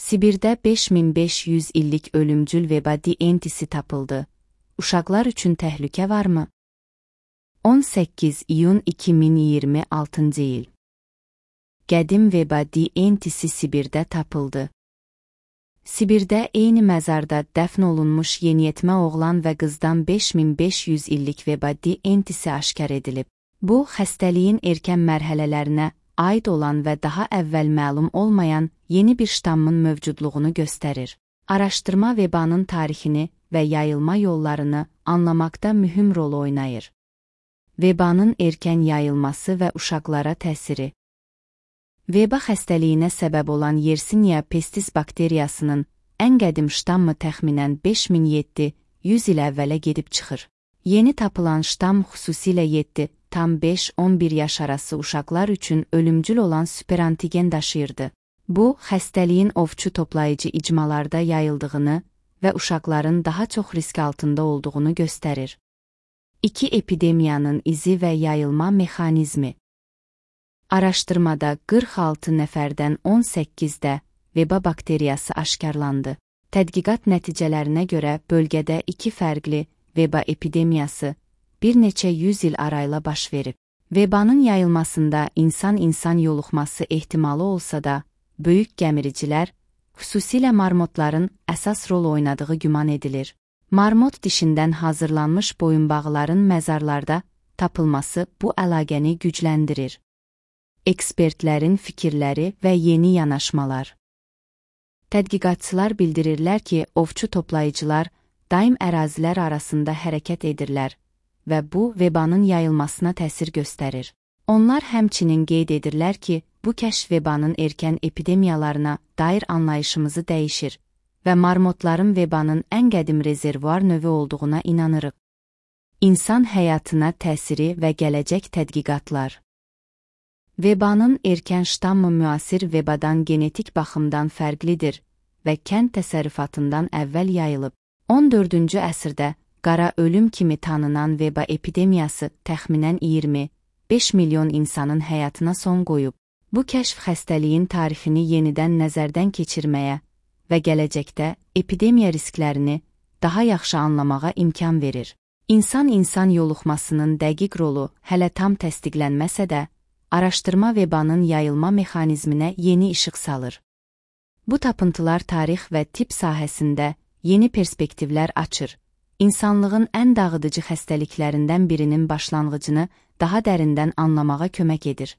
Sibirdə 5500 illik ölümcül veba DNT'si tapıldı. Uşaqlar üçün təhlükə varmı? 18 iyun 2026 il. Qədim veba DNT'si Sibirdə tapıldı. Sibirdə eyni məzarda dəfn olunmuş yeniyetmə oğlan və qızdan 5500 illik veba DNT'si aşkar edilib. Bu, xəstəliyin erkən mərhələlərinə aid olan və daha əvvəl məlum olmayan yeni bir ştammın mövcudluğunu göstərir. Araşdırma vebanın tarixini və yayılma yollarını anlamaqda mühüm rol oynayır. Vebanın erkən yayılması və uşaqlara təsiri. Veba xəstəliyinə səbəb olan Yersinia pestis bakteriyasının ən qədim ştammı təxminən 5700 il əvvələ gedib çıxır. Yeni tapılan ştam xüsusilə 7,5-11 yaş arası uşaqlar üçün ölümcül olan superantigen daşıyırdı. Bu, xəstəliyin ovçu toplayıcı icmalarda yayıldığını və uşaqların daha çox risk altında olduğunu göstərir. 2 epidemiyanın izi və yayılma mexanizmi. Araşdırmada 46 nəfərdən 18-də veba bakteriyası aşkarlandı. Tədqiqat nəticələrinə görə bölgədə 2 fərqli veba epidemiyası bir neçə yüz il arayla baş verib. Vebanın yayılmasında insan-insan yoluxması ehtimalı olsa da, böyük gəmiricilər, xüsusilə marmotların əsas rol oynadığı güman edilir. Marmot dişindən hazırlanmış boyunbağıların məzarlarda tapılması bu əlaqəni gücləndirir. Ekspertlərin fikirləri və yeni yanaşmalar. Tədqiqatçılar bildirirlər ki, ovçu toplayıcılar daim ərazilər arasında hərəkət edirlər və bu, vebanın yayılmasına təsir göstərir. Onlar həmçinin qeyd edirlər ki, bu kəşf vebanın erkən epidemiyalarına dair anlayışımızı dəyişir və marmotların vebanın ən qədim rezervuar növü olduğuna inanırıq. İnsan həyatına təsiri və gələcək tədqiqatlar. Vebanın erkən ştammı müasir vebadan genetik baxımdan fərqlidir və kənd təsərrüfatından əvvəl yayılıb. 14-cü əsrdə qara ölüm kimi tanınan veba epidemiyası təxminən 25 milyon insanın həyatına son qoyub. Bu kəşf xəstəliyin tarixini yenidən nəzərdən keçirməyə və gələcəkdə epidemiya risklərini daha yaxşı anlamağa imkan verir. İnsan-insan yoluxmasının dəqiq rolu hələ tam təsdiqlənməsə də, araşdırma vebanın yayılma mexanizminə yeni işıq salır. Bu tapıntılar tarix və tibb sahəsində yeni perspektivlər açır. İnsanlığın ən dağıdıcı xəstəliklərindən birinin başlanğıcını daha dərindən anlamağa kömək edir.